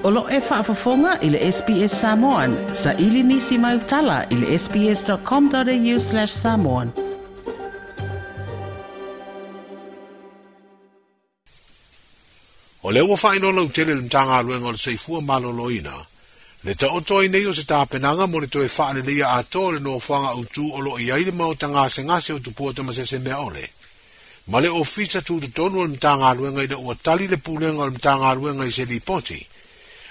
O lo o e faafofoga i le SBS Samoan. Saili nisi mau tala i le sbs.com.au/samoan. O lea ua faailoa lautele e le Matagaluega o le Soifua Maloloina le taoto ai nei o se tapenaga mo le toe faaleleia atoa o le nofoaga autu o lo o i ai le maota gasegase o Tupua Tamasesemeaole ma le Ofisa Tutotonu o le Matagaluega ina ua tali le Pulega o le Matagaluega i se lipoti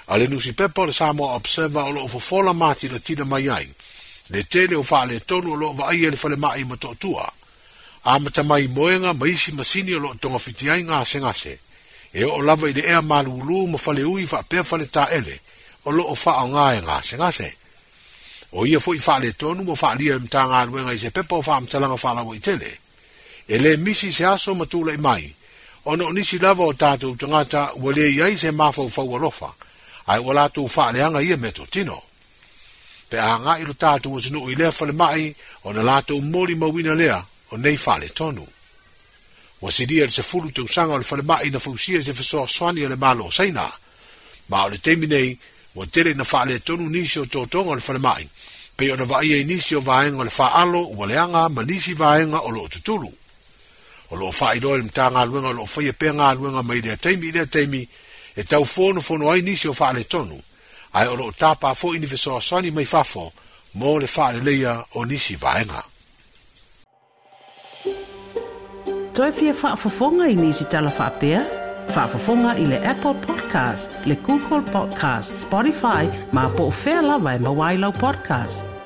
a le nusipepa o le Samoa Observer o lo o fofola matilatila mai ai le tele o faaletonu o lo o vaaia e le falemai i Motootua, amata mai moega ma isi masini o lo o togafiti ai gasegase, e oo lava i le ea malulu ma faleui faapea faletaele o lo o faaaoga e gasegase. O ia foi faaletonu ua faaalia e le Matagaluega i se pepa o faamatalaga faalauaitele. E le misi se aso ma tulai mai, ona o nisi lava o tatou tagata ua le i ai se mafaufau alofa, ae ua latou faaleaga ia meatotino. Pe a agai lo tatou atunuu i lea falemai, ona latou molimauina lea o nei faaletonu. Ua silia i le 10 tausaga o le falemai na fausia i se fesoasoani a le Malo o Saina, ma o le taimi nei ua tele ina faaletonu nisi o totoga o le falemai, pei ona vaaia i nisi o vaega o le faaalo ua leaga ma nisi vaega o lo o tutulu. O lo o faailoa e le Matagaluega o lo o faia pea galuega mai lea taimi i lea taimi e tau fonofono ai nisi o faaletonu, ae o lo o tapa foi ni fesoasoani mai fafo mo le faaleleia o nisi vaega. Toe fia faafofoga i nisi tala faapea? Faafofoga i le Apple Podcast, le Google Podcast, Spotify, ma po o fea lava e maua ai lau podcast.